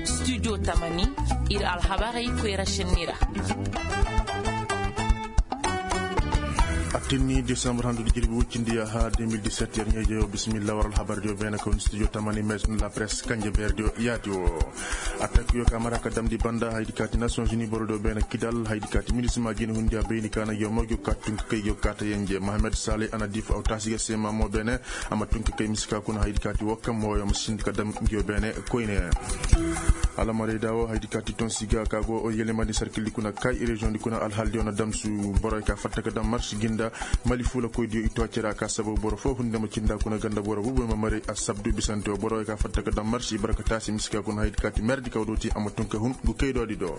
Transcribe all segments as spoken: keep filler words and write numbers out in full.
Studio tamani, ir alhabarey koyra šenni ra. Attinni desambar handu di jirbi woy cindi yaha deux mille dix-sept, yer ɲeejeyo bisimilla war alhabardiyo beene ka woni studio tamani, maison de la presse kanje beerdiyo yaati wo. Atak yo ka mara ka damndi banda haydi kaati nations unis borodiyo beene kidal haydi kaati minisima jina hundi a bayni ka na yo ma go ka tunka kay go ka ta yenje mohamed saleh anadif aw taasi ga seema mo beene. Amma tunka kay mise ka kuna haydi kaati wo kam mo yo ma sindi ka dam ngiyo beene koyne. Alamaray da wo haydi kaati tonsi ga ka go yelemandi sarkildi kuna kay reziyoŋdi kuna alhaldiyo na damsu boroyo ka fatta ka dam marsi ginda. Mali fuulakoydiyo i to cere a ka sababu boro foo hunde ma cinda kuna ganda boro bubu ma maray assabdu bisante wo boroyo ka fatta ka dam marsi barka taasi mise ka kuna haydi kaati merdi kaw do ti amma tun ka hun ngu kaydoodi do.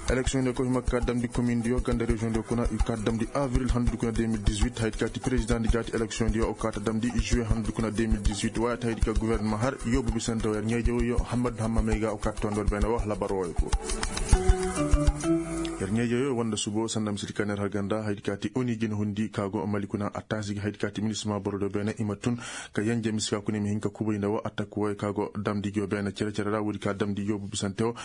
Eleksiyoŋdiyo ko hima ka damndi komindiyo ganda reziyoŋdiyo kuna i ka damndi avril handudi kuna deux mille dix-huit haydi kaati perezidaŋdi jaati eleksiyoŋdiyo o ka ta damndi juwe handudi kuna deux mille dix-huit waayata haydi ka guwernema har yoobu bisante wo yer ɲeeje woyo hammad hamma may ga o ka ta tondor beene wo labar woyo ko. Yer ɲeeje woyo wanda subo sanda misidi ka na yer har ganda haydi kaati oni jina hundi ka go mali kuna a taasi ga haydi kaati minisima borodiyo beene i ma tun ka yenje mise ka kuna i ma hin ka kubay nda wo atak woyo ka go damndi ngiyo beene cere-cere ra woodi ka damndi yoobu bisante wo.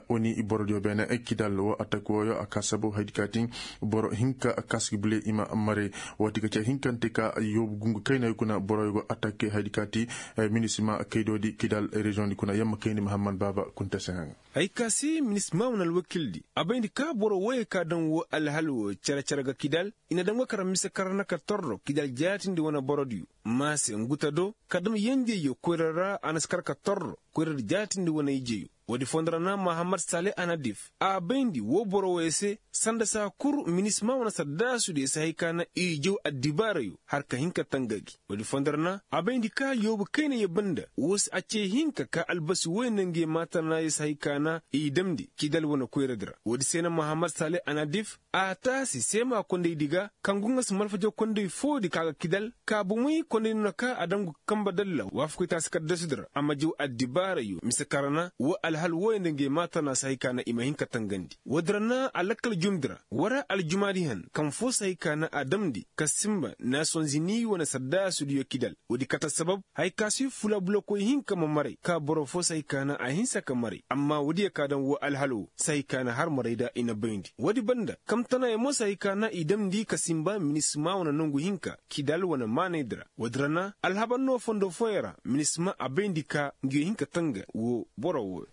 Oni borodiyo beene kidal wo atak woyo a ka sabu haydi kaati boro hinka kaski bile i ma maray. Woo ti ka ce hinkante ka yoobu gungu kayna kuna boroyo go atak haydi kaati minisima kaydoodi kidal reziyoŋdi kuna yamma kayndi mahammad baaba kunta se haŋ. Hay ka se minisima wane alwakildi a bayndi ka boro woyey ka daŋ woo alhal woo cere-cere ga kidal i na daŋ ga kara mise karana ka torro kidal jaatindi wane borodiyo. Maase nguta do ka dam yenjeyyo koyra ra a na si kar ka torro koyradi jaatindi wane ijeyo. Woodi fondo ra na mahammad saleh anadif a bayndi woo boro woyey se sanda saa kul minisima wane saddaasudiyo si hay ka na i jaw addibaarayo har ka hin ka tanga gi. Woodi fondo ra na a bayndi ka yoobu kayna yee banda woo se a cee hinka ka albasi woy nda nge maatanaayo si hay ka na i damndi kidal wane koyradi ra. Woodi se na mahammad saleh anadif a taasi seema kondaydi ga kaŋ go nga si malfaja konday foodi ka ga kidal ka bomey konday no na ka a daŋ go ga kamba dalla waafakoy taasi kaddasudi ra a ma jaw addibaarayo mise karana woo alhal wooyo nda ngey maatanaa si hay ka na i ma hin ka tangandi. Woodi ra na a lakkal jumndi ra wara aljumaadi han kaŋ foo si hay ka na a damndi ka sinba nasonzini wane saddaasudiyo kidal. Woodi kate assabab hay ka si fula bulakoy hinka ma maray ka boro foo si hay ka na a hinsa ka maray amma woodiyo ka daŋ woo alhal woo si hay ka na har maray nda i na bayndi woodi banda kamtanaayo mo si hay ka na i damndi ka sinba minisima wane nongu hinka kidal wane maanaydi ra woodi ra na alhabar no fondo fooyo ra minisima a bayndi ka ngiyo hin ka tanga woo boro woo.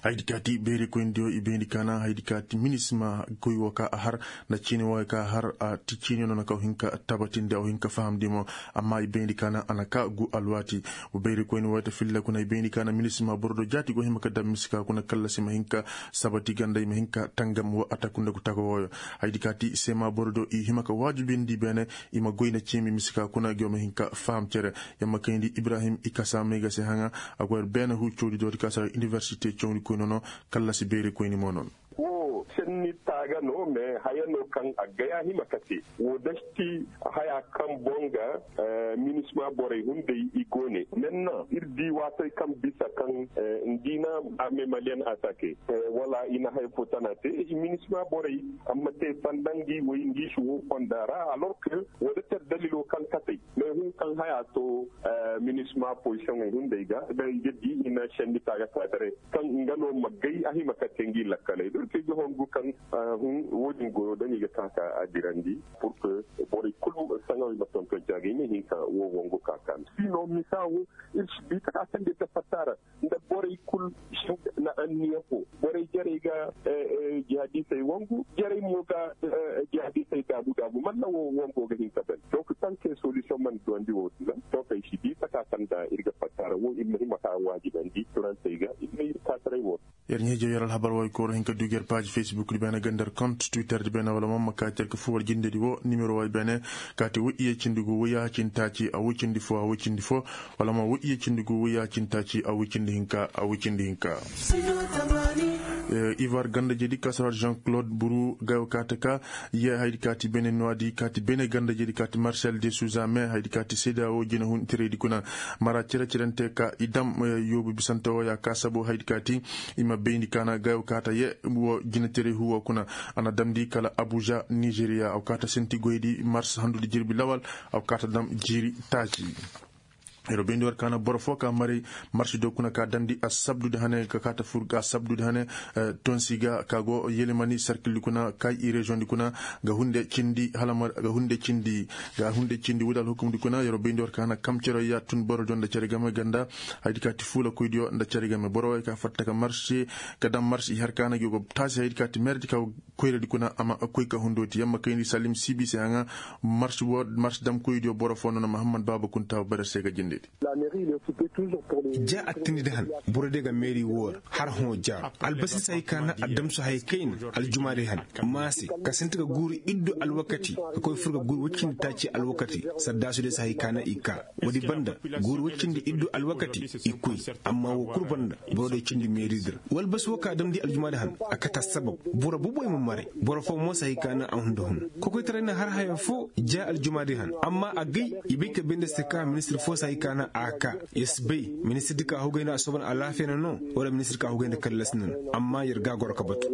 Haydi kaati beerikoyndiyo i bayndi ka na haydi kaati minisima goy woo ka a har nda ciini wooyo ka a har a ti ciiniyo no na ka woo hin ka tabatindi a woo hin ka fahamndi mo. Amma i bayndi ka na a na ka gu alwaati. Beerikoyni wooyo ta filla kuna i bayndi ka na minisima boro do jaati go hima ka dam mise ka kuna kallasi ma hin ka sabati ganda i ma hin ka tangam woo a taku nda gu taga wooyo. Haydi kaati seema boro do i hima ka waajibindi beene i ma goy nda ciimi mise ka kuna gi woo ma hin ka faham cere. Yamma kayndi ibrahim i kasa may ga se haŋa. A go yer beene huu cawdi dooti ka sara iniwersite cawndi koy nono. Kallasi beeri koyni mo noon. Woo senni taaga no mais haya no kaŋ a gaya hima kate. Woo dasti haya kaŋ boŋ ga minisma borey hunday i go ne. Menna ir di waatey kaŋ bisa kaŋ ngi na arme maliyen atake wala i na haya fo tana te i minisma borey. Amma te sanda ngi way ngi si woo fonda ra alors que woo da ter dalilo kaŋ katey mais hun kaŋ haya to minisma posiyoŋey hunday ga da i ga di i na senni taaga taadare. Kaŋ nga no ma gay a hima ka te ngi lakkaley da ir te ga hongu kaŋ hun woo din goyo da ni ga ka ka a dirandi. Pour que borey kulu saŋawey ma tonton caagay ne hinka woo wongu ka ka. Sino misa woo ir si bi taka kaŋ de ta fatta ra nda borey kul na anniya fo borey jarey ga jihadisey wangu jarey mo ga jihadisey daabu daabu malla wo wango ga hin ka ban donc tanke solution man duwandi wo sila donc ay si di saka sanda ir ga fattara wo ir ma hima ka waajibandi turansey ga ir ma ir ka taray wo. Yer ɲeejo yer alhabar way kooro hin ka dugi yer paaji facebook di beene ganda yer compte twitter di beene wala mo ma ka yer ka fuwar jindedi wo nimero way beene kaati wo iye cindi gu wo yaacin taaci a wo cindi fo a wo cindi fo. Wala ma wo iye cindi gu wo yaacin taaci a wo cindi hinka a wo cindi hinka. Ivar ganda jedi kasarar jean claude buru gayo kaata ka ye haydi kaati beene nuwadi kaati beene ganda jedi kaati marcel de suza me haydi kaati seda wo jina hun tiredi kuna. Mara cere cerente ka i dam yoobu bisante wo ya ka sabo haydi kaati i ma bayndi kaana gayo kaata ye wo jina tere huwo kuna. A na damndi kala abuja nigeria a wo kaata senti goydi mars handudi jirbi lawal. A wo kaata dam jiiri taaci. Yeroo bayndi war kaana boro foo ka maray marsi do kuna ka damndi assabdu di hane ka kaata fur assabdu di hane, tonsi ga ka go yelemani sarkil di kuna kay i reziyoŋ di kuna ga hunde cindi hala ga hunde cindi ga hunde cindi wudal hukum di kuna yeroo bayndi war kaana kam cere ya tun boro do nda cere game ganda. Haydi ka ti fuula koy diyo nda cere game boro way ka fatta ka marsi ka dam marsi i har kaana gi go taasi haydi ka ti merdi ka koyra di kuna amma koy ka hundo ti yamma kayndi salim sibi se haŋa. Marsi wo marsi dam koy diyo boro foo no na muhammad baaba kunta bare se ga jinde di. Ja attindi da han boro de ga meeri woor har hõ jaaro albasi se hay ka na addamsu hay kayna aljuma de han. Maase ka sinti ga guuru iddu alwakati ka koy fur ga guuru waccindi taaci alwakati. Saddaasu de se hay ka na i ka woodi banda guuru waccindi iddu alwakati i koy. Amma woo kul banda boro de cindi meeri dira walbasi woo ka damndi aljuma de han. A kata sabab boro boboy ma maray boro foo mo se hay ka na a hunda hun. Kokoytaray na har haya foo ja aljuma de han amma a gay i bay ka bay nda se ka ministir foo se hay ka na a ka. Yer si bay ministir di ka hugay nda a soban alaafiya na no wala ministir ka hugay nda kallas na no. Amma yer ga a goro ka batu.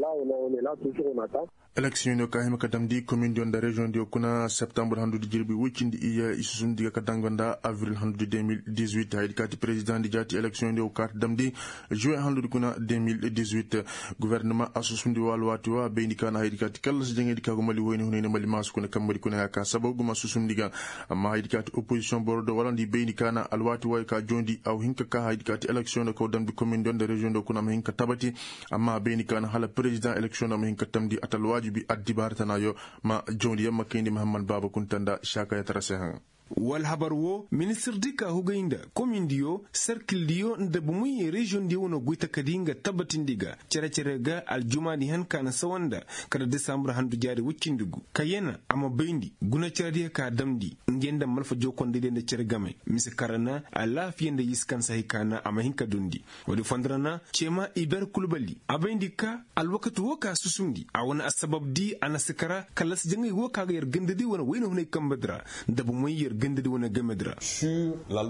Eleksiyoŋ ka hima ka damndi komin diyo nda reziyoŋ diyo kuna septambur handu di jirbi woy cindi iyye i susum di ga ka danga nda avril handu di deux mille dix-huit haydi ka ti perezidaŋ di jaati eleksiyoŋ diyo ka ti damndi juwe handu di kuna deux mille dix-huit. Guvernama a susum di wa alwaati wa bayndi ka na haydi ka ti kallasi jaŋay di ka go mali woyne hunay nda mali maasu kuna kamba di kuna ya ka sababu guma susum di ga. Amma haydi ka ti opozisiyoŋ boro do wala nda i bayndi ka na alwaati wa ya ka joondi a wa hin ka ka haydi ka ti eleksiyoŋ diyo ka wa damndi komin diyo nda reziyoŋ diyo kuna a ma hin ka tabati. Amma a bay ni ka na hala perezidaŋ eleksiyoŋ na ma hin ka tamndi a ta alwaajibi addibaara tana yo. Ma jawndi yaŋ ma kayndi mahammad baaba kunta nda saaka ya tara se haŋa. Wala habar wo ministir di ka hugay nda komindiyo serkildiyo nda bumuyye reziyoŋdiyo wane goy takadi nga tabatindi ga cere-cere ga aljumaadi han ka na sawa nda kala desambur handu jaari woy cindi gu ka yana a ma bayndi guna cerediyo ka damndi ngey nda malfa jokondaydiyo nda cere game. Mise kara na alaafiya nda yiskansa hay ka na a ma hin ka dundi. Woodi fondora na ceema iber kulbali a bayndi ka alwakati woo ka susundi a wane assabab di a na si kara kallasi jaŋay woo ka ga yer gandadi wane wayna hunay kambadi ra nda bomey yer gandadi wane gamedi ra.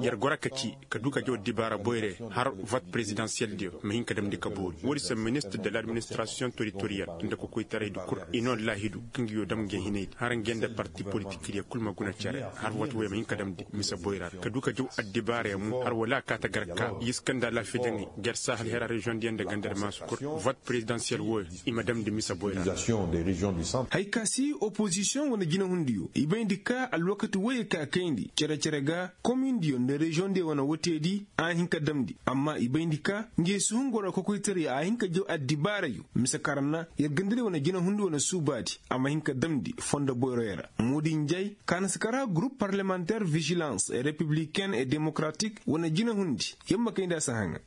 Yer goro ka ci ka du ka jaw dibaara boyre har vot perezidansiyeldiyo ma hin ka damndi ka boori woodi se ministir de l'administirasiyoŋ teritoriyal nda kokoytaraydi kul i noo laahidu ka ngi yoo dam nge hinaydi har nge nda parti politikdiyo kul ma guna cere har vot woy ma hin ka damndi mise boyra ra ka du ka jaw addibaara yaŋ mo har wala a kaa ta gar ka yiska nda alaafiya jaŋay ger saahal hera reziyoŋdiyo nda gandadi maasu kul vot perezidansiyel wooyo i ma damndi mise boyra ra. Hay ka si opozisiyoŋ wane jinehundiyo i bayndi ka alwakati wooyo ka kayndi cere-cere ga komindiyo nda reziyoŋdiyo wane woteedi a hin ka damndi amma i bayndi ka nge si hun goro kokoytaray a hin ka jaw addibaarayo mise karan na yer gandadi wane jinehundi wane suubaadi a ma hin ka damndi fondo boyroyo ra moodi njay ka na si kara gurup parlemanter vijilans repibliken e demokratik wane jinehundi yer ma kayndi a si haŋa.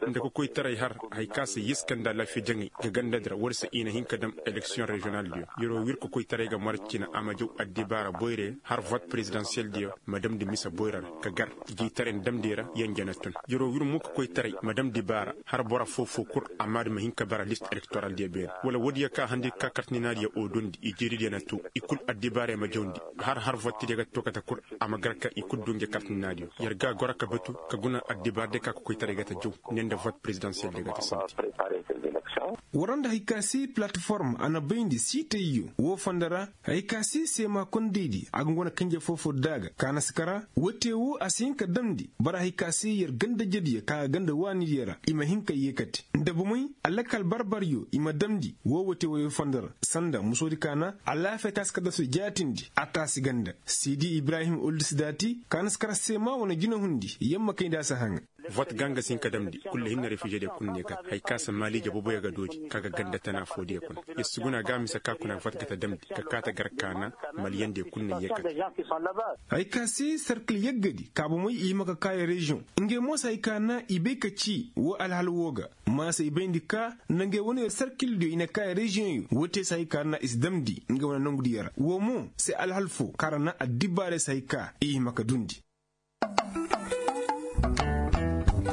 Nda ka koytaray har hay ka se yiska nda alaafiya jaŋay ga gandadi ra war se i na hin ka dam eleksiyoŋ reziyonaldiyo yeroo wir ka koytaray ga marcina a ma jaw addibaara boyre har vot perezidansiyeldiyo ma damndi mise boyra ra ka gar jiitaray nda damndi ra yanje na tun yeroo wir mo ka koytaray ma damndi baara har boro foo-foo kul a maadi ma hin ka bara list elektoraldiyo beene wala woodiyo ka handi ka kartinaadiyo o dondi i jeeridiyo na too i kul addibaarey ma jawndi har har vottidiyo ga too kate kul a ma gar ka i kul du nge kartinaadiyo yer ga a goro ka batu ka guna addibaaradiyo ka kokoytaray ga ta jaw ne nda vot perezidansiyeldiyo ga ta sinti. War nda hay ka se palatiform a na bayndi siitayyo woo fondo ra. Hay ka se seema kondaydi a ga ngu wane kanje foo-foo da ga ka na si kara woo te woo a si hin ka damndi bara hay ka se yer ganda-jediyo ka ga ganda waanidiyo ra i ma hin ka yeekate nda bomey alakal bar-baryo i ma damndi woo woo te woyoo fondo ra sanda musoodi ka na alaafiya taasi ka dasu jaatindi a taasi ganda. Siidi ibrahim oldis daati ka na si kara seema wane jinehundi yer ma kayndi a si haŋa. Vot ga nga si hin ka damndi kul da hinne refizediyo kul ne kate hay ka se maaliije boboyo ga doodi ka ga ganda tana foodiyo kuna yer si guna ga a mise ka kuna vot ga ta damndi ka kaa ta gar ka na maliyandiyo kul ne yee kate. Hay ka se serkil yaggadi ka bomey i hima ka kaa yer reziyoŋ ngey mo se hay ka na i bay ka ci woo alhal woo ga. Maasa i bayndi ka nda ngey wane yer serkildiyo i na kaa yer reziyoŋyo woo te se hay ka na i si damndi ngey wane nongudiyo ra woo mo se alhal foo kaŋ ra na addibaarey se hay ka i hima ka dundi.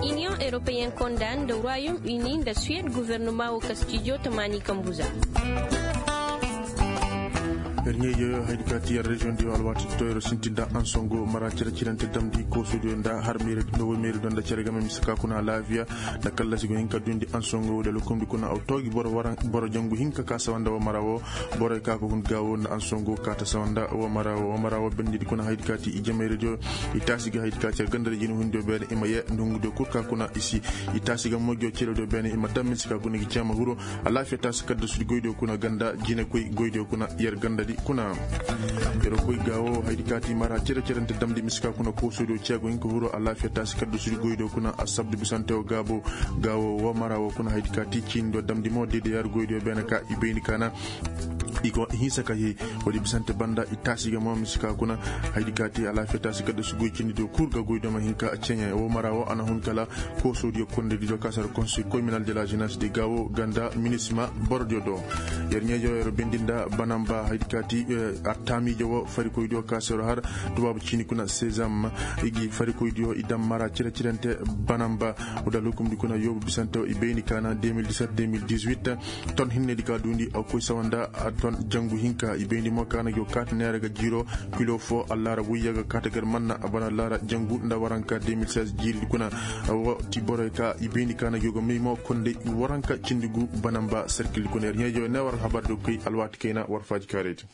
Iniyoŋ europeyen konda nda royom uni nda suwed guvernoma woo kastijo tamaani kambuza. Yer ɲeejo yo haydi ka ti yer reziyoŋ diyo alwaati toyro sinti nda ansongo mara cere cirante damndi koosodiyo nda har meeri do nda cere game mise ka kuna alaafiya nda kallasi go hin ka dundi ansongo wo da lokomdi kuna aw toogi boro jangu hinka ka sawanda wo mara wo. Boroy ka ko hun gaawo nda ansongo ka ta sawanda wo mara wo wo mara wo bendidi kuna haydi ka ti i jamayre diyo. I taasi ga haydi ka ti yer gandadi jina hundiyo beene i ma yee nda hungudiyo kul ka kuna i si i taasi ga mogiyo cere diyo beene i ma dam mise ka guna gi ceema huro. Alaafiya taasi kadda sudi goydiyo kuna ganda jina koy goydiyo kuna yer gandadi kuna. Yer koy gaawo haydi ka ti mara cere cerante damndi mise ka kuna koosodiyo ceego hinka huro alaafiya taasi kadda sudi goydiyo kuna asabdu bisante wo gaabo. Gaawo wo mara wo kuna haydi ka ti ciinidiyo damndi mo deede yar goydiyo beene ka i bayni kaana. I go hinsa ka hee. Woodi bisante banda i taasi ga mo mise ka kuna haydi ka ti alaafiya taasi kadda sudi goy ciinidiyo kul ga goydiyo ma hinka ceɲe wo mara wo a na hun kala. Koosodiyo kondediyo ka sara konsoy kominal de la jenes de gaawo ganda minisima borodiyo do. Yer ɲeejo yer bendi nda banamba haydi ka ti attaamiijo wo farikoydiyo ka sero har tubaabu ciini kuna sezam. I gi farikoydiyo i dam mara cire cirante banamba. Wo da lukumdi kuna yoobu bisante wo i bayni kaana deux mille dix-sept deux mille dix-huit. Ton hinnedi ka duundi a koy sawa nda ton jangu hinka i bayndi mo kaana gi wo kaata neera ga jiiro. Kilo fo allaara wuyya ga kaata gar manna a bana allaara jangu nda waranka deux mille seize jiiridi kuna. Wo ti boroy ka i bayndi kaana gi wo ga may mo konday waranka cindi gu banamba serkildi kuna yer ɲeejo ne war habar do koy alwaati kayna war faaji kaaraydi.